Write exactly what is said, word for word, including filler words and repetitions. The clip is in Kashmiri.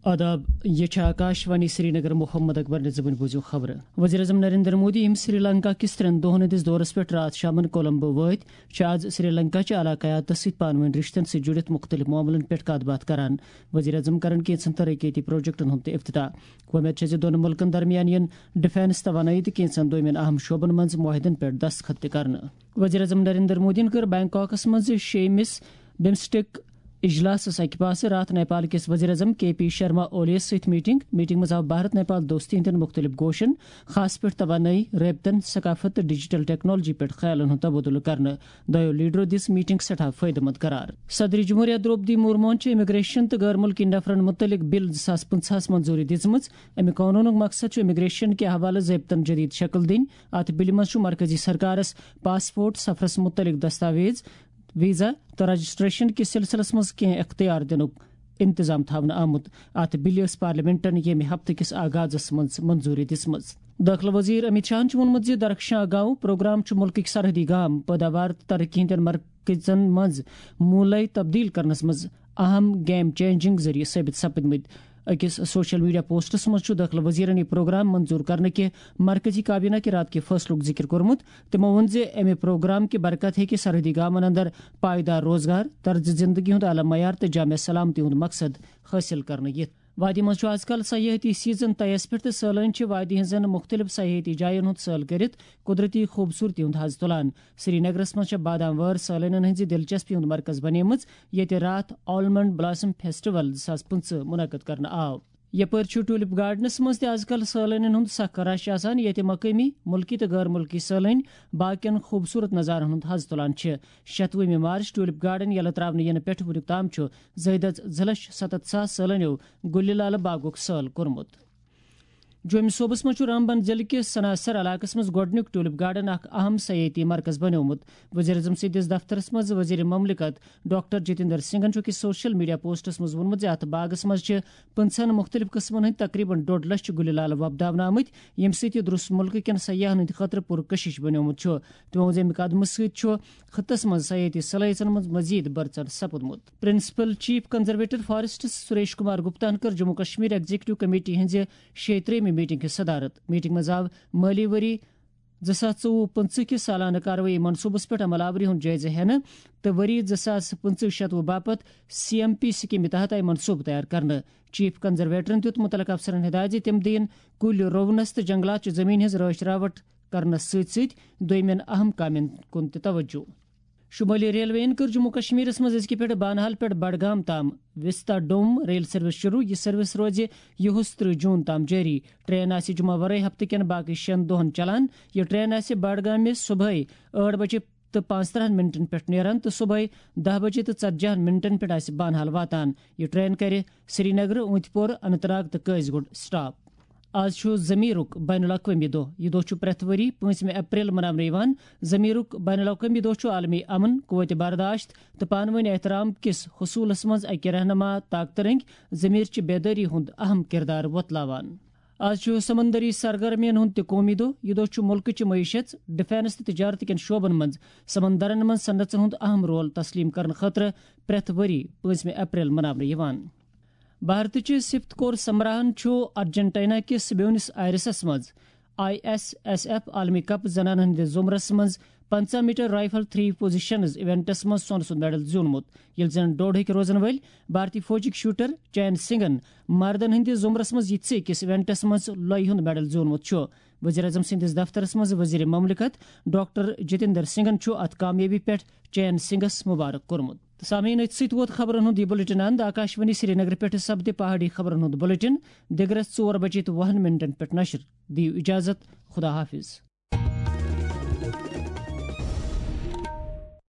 آداب، یہ چھِ آکاش وانی سرینگر۔ محمد اکبر نظمن بوٗزِو خبرٕ۔ وزیر اعظم نریندر مودی، یِم سری لنکا کِس ترٛٮ۪ن دۄہن ہٕنٛدِس دورس پٮ۪ٹھ راتھ شامن کولمبو وٲتۍ، چھِ آز سری لنکا چہِ علاقایاتس سۭتۍ پانہٕ وٲنۍ رشتن سۭتۍ جُڑِتھ مُختٔلِف معاملن پٮ۪ٹھ کتھ باتھ کران۔ وزیر اعظم کرن کینٛژن ترقیتی پروجیکٹن ہُنٛد تہِ افتتاح۔ وۄمید چھےٚ زِ دۄن مُلکن درمیان یِن ڈیفنس، توانٲیی تہٕ کینٛژن دوٚیمٮ۪ن اہم شعبن منٛز معاہدن پٮ۪ٹھ دستخط تہِ کرنہٕ۔ وزیر اعظم نریندر مودیَن کٔر بینکاکس منٛز شیٚیمِس بمسٹیک اجلاسس اکہِ پاسہٕ راتھ نیپال کِس وزیر اعظم کے پی شرما اولیَس سۭتۍ میٹنگ۔ میٹنگ منٛز آو بھارت نیپال دوستی ہٕنٛدٮ۪ن مُختٔلِف گوشن، خاص پٲٹھۍ توانٲیی، رٲبطن، ثقافت تہٕ ڈیجیٹل ٹیکنالوجی پٮ۪ٹھ خیالن ہُنٛد تبادلہٕ کرنہٕ۔ دۄیو لیڈرو دِژ میٹنگ سٮ۪ٹھاہ فٲیدٕ مند قرار۔ صدر جمہوریہ درٛوپدی مرموہن چھِ امیگریشن تہٕ غٲر مُلکی نفرن مُتعلق بل زٕ ساس پٕنٛژٕہَس منظوٗری دِژمٕژ۔ امہِ قونوٗنُک مقصد چھُ امیگریشن کہِ حوالہٕ ضٲبطن جدید شکل دِنۍ۔ اتھ بلہِ منٛز چھُ مرکزی سرکارس پاسپورٹ، سفرس مُتعلق دستاویز، ویزا تہٕ رجسٹریشن کِس سلسلس منٛز کینٛہہ اختیار دِنُک انتظام تھاونہٕ آمُت۔ اتھ بلہِ ٲس پارلیمنٹن ییٚمہِ ہفتہٕ کِس آغازس منٛز منظوٗری دِژمٕژ۔ دٲخلہٕ وزیر امیت شاہن چھُ ووٚنمُت زِ درخشاں گاؤں پروگرام چھُ مُلکٕکۍ سرحدی گام پٲداوار تہٕ ترقی ہٕنٛدٮ۪ن مرکزن منٛز موٗلے تبدیل کرنس منٛز اہم گیم چینجنگ ذٔریعہٕ ثٲبت سپٕدمٕتۍ۔ أکِس سوشل میڈیا پوسٹس منٛز چھُ دٲخلہٕ وزیرن یہِ پروگرام منظوٗر کرنہٕ کہِ مرکزی کابینہ کہِ راتہٕ کہِ فٲصلُک ذِکِر کوٚرمُت۔ تِمو ووٚن زِ امہِ پروگرام کہِ برکت ہیٚکہِ سرحدی گامن اندر پائیدار روزگار، طرز زندگی ہُنٛد اعلیٰ معیار تہٕ جامع سلامتی ہُنٛد مقصد حٲصِل کرنہٕ یِتھ۔ وادی منٛز چھُ از کل سیاحتی سیزن طے یَس پٮ۪ٹھ تہٕ سٲلٲنۍ چھِ وادی ہٕنٛزن مُختٔلِف سیاحتی جاین ہُنٛد سٲل کٔرِتھ قۄدرتی خوٗبصوٗرتی ہُنٛد حظ تُلان۔ سری نگرس منٛز چھےٚ بادام وٲر سٲلٲنٮ۪ن ہٕنٛزِ دلچسپی ہُنٛد مرکز بنیمٕژ، ییٚتہِ راتھ آلمنڈ بلاسم فیسٹیول زٕ ساس پٕنٛژٕہ منعقد کرنہٕ آو۔ یپٲرۍ چھُ ٹولپ گارڈنس منٛز تہِ از کل سٲلٲنٮ۪ن ہُنٛد سخ رش آسان، ییٚتہِ مقٲمی، مُلکی تہٕ غٲر مُلکی سٲلٲنۍ باقین خوٗبصوٗرت نظارن ہُنٛد حظ تُلان چھِ۔ شتوُہمہِ مارچ ٹولپ گارڈن یلہٕ ترٛاونہٕ یِنہٕ پٮ۪ٹھ وُنیُک تام چھُ زٲیدٕ از زٕ لچھ ستتھ ساس سٲلٲنیو گُلہِ لالہٕ باغُک سٲل کوٚرمُت۔ جوٚمہِ صوبس منٛز چھُ رامبن ضلعہٕ کِس سناسر علاقس منٛز گۄڈٕنیُک ٹولپ گارڈن اکھ اہم سیاحتی مرکز بنیومُت۔ وزیر اعظم سٕنٛدِس دفترس منٛز وزیر مملکت ڈاکٹر جتیندر سنگھن چھُ أکِس سوشل میڈیا پوسٹس منٛز ووٚنمُت زِ اتھ باغس منٛز چھِ پٕنٛژٕہن مُختٔلِف قٕسمن ہٕنٛدۍ تقریباً ڈوٚڈ لچھ گُلہِ لالہٕ وۄپداونہٕ آمٕتۍ، ییٚمہِ سۭتۍ یہِ درُس مُلکہٕ کٮ۪ن سیاحن ہٕنٛدِ خٲطرٕ پُرکشش بنیومُت چھُ۔ تِمو ووٚن زِ امہِ قدمہٕ سۭتۍ چھُ خطس منٛز سیاحتی صلٲحیژن منٛز مزید بڑژر سپُدمُت۔ Principal chief conservator forests Suresh Kumar Gupta ہن کٔر جموں کشمیر ایگزیکٹو کمیٹی ہٕنٛزِ شیٚیہِ ترٛیٚیمہِ میٹنگ ہٕنٛز صدارت۔ میٹنگ منٛز آو مٲلی ؤری زٕ ساس ژوٚوُہ پٕنٛژٕہ کِس سالانہٕ کاروٲیی منصوٗبس پٮ۪ٹھ عمل آوری ہُنٛد جٲیزٕ ہٮ۪نہٕ تہٕ ؤری زٕ ساس پٕنٛژٕہ شتوُہ باپتھ سی ایم پی سکیمہِ تحت آیہِ منصوٗبہٕ تیار کرنہٕ۔ چیف کنزرویٹرن دیُت مُتعلقہٕ افسرن ہدایت زِ تِم دِیِن کُلۍ رُونس تہٕ جنگلات چہِ زٔمیٖن ہٕنٛز رٲچھ راوٹھ کرنس سۭتۍ سۭتۍ دوٚیمٮ۪ن اہم کامٮ۪ن کُن تہِ توجہ۔ شمٲلی ریلوے یَن کٔر جموں کشمیرس منٛز أزکہِ پٮ۪ٹھ بانہال پٮ۪ٹھ بڈگام تام وستا ڈوم ریل سروس شروع۔ یہِ سروس روزِ یِہُس ترٕہ جون تام جٲری۔ ٹرین آسہِ جمعہ ورٲے ہفتہٕ کٮ۪ن باقٕے شٮ۪ن دۄہن چلان۔ یہِ ٹرین آسہِ بڈگامہِ صبحٲے ٲٹھ بجے تہٕ پانٛژترٕہن منٹن پٮ۪ٹھ نیران تہٕ صبحٲے دَہ بجے تہٕ ژتجی ہن منٹن پٮ۪ٹھ آسہِ بانہال واتان۔ یہِ ٹرین کرِ سرینگر، اونتپور، اننت ناگ تہٕ قٲضۍ گُنڈ سٹاپ۔ آز چھُ ضمیرُک بین الاقوٲمی دۄہ۔ یہِ دۄہ چھُ پرٛٮ۪تھ ؤری پٲنٛژمہِ اپریل مناونہٕ یِوان۔ ضمیرُک بین الاقوٲمی دۄہ چھُ عالمی امن، قوت برداشت تہٕ پانہٕ ؤنۍ احترام کِس حصوٗلس منٛز اکہِ رہنما طاقتہٕ رٔنٛگۍ ضمیر چہِ بیدٲری ہُنٛد اہم کردار وۄتلاوان۔ آز چھُ سمندری سرگرمین ہُنٛد تہِ قومی دۄہ۔ یہِ دۄہ چھُ مُلکٕچہِ معیشت، ڈیفنس تہٕ تجارت کٮ۪ن شعبن منٛز سمندرن منٛز صنعژن ہُنٛد اہم رول تسلیم کرنہٕ خٲطرٕ پرٛٮ۪تھ ؤری پٲنٛژمہِ اپریل مناونہٕ یِوان۔ بھارتٕچہِ سِفتھ کور سمراہن چھُ ارجنٹینا کِس بیونس آیرسس منٛز آئی ایس ایس ایف عالمی کپ زنانن ہٕنٛدِس زمرس منٛز پنٛژاہ میٹر رائفل تھری پوزیشنز ایونٹس منٛز سۄنہٕ سُنٛد میڈل زیوٗنمُت، ییٚلہِ زن ڈوٚڈ ہیٚکہِ روزن وٲلۍ بھارتی فوجٕکۍ شوٹر چین سنگھن مردن ہٕنٛدِس زمرس منٛز یِتھۍ أکِس ایونٹس منٛز لۄیہِ ہُنٛد میڈل زیوٗنمُت چھُ۔ وزیر اعظم سٕنٛدِس دفترس منٛز وزیر مملکت ڈاکٹر جتیندر سنگھن چھُ اتھ کامیٲبی پٮ۪ٹھ چین سنگھس مبارک کوٚرمُت۔ تہٕ سامعیٖن، أتھۍ سۭتۍ ووت خبرن ہُنٛد یہِ بُلٹن اند۔ آکاشوانی سرینگر پٮ۪ٹھ سپدِ پہاڑی خبرن ہُنٛد بُلٹن دِگرس ژور بجے تہٕ وُہن منٹن پٮ۪ٹھ نشر۔ دِیِو اجازت، خدا حافظ۔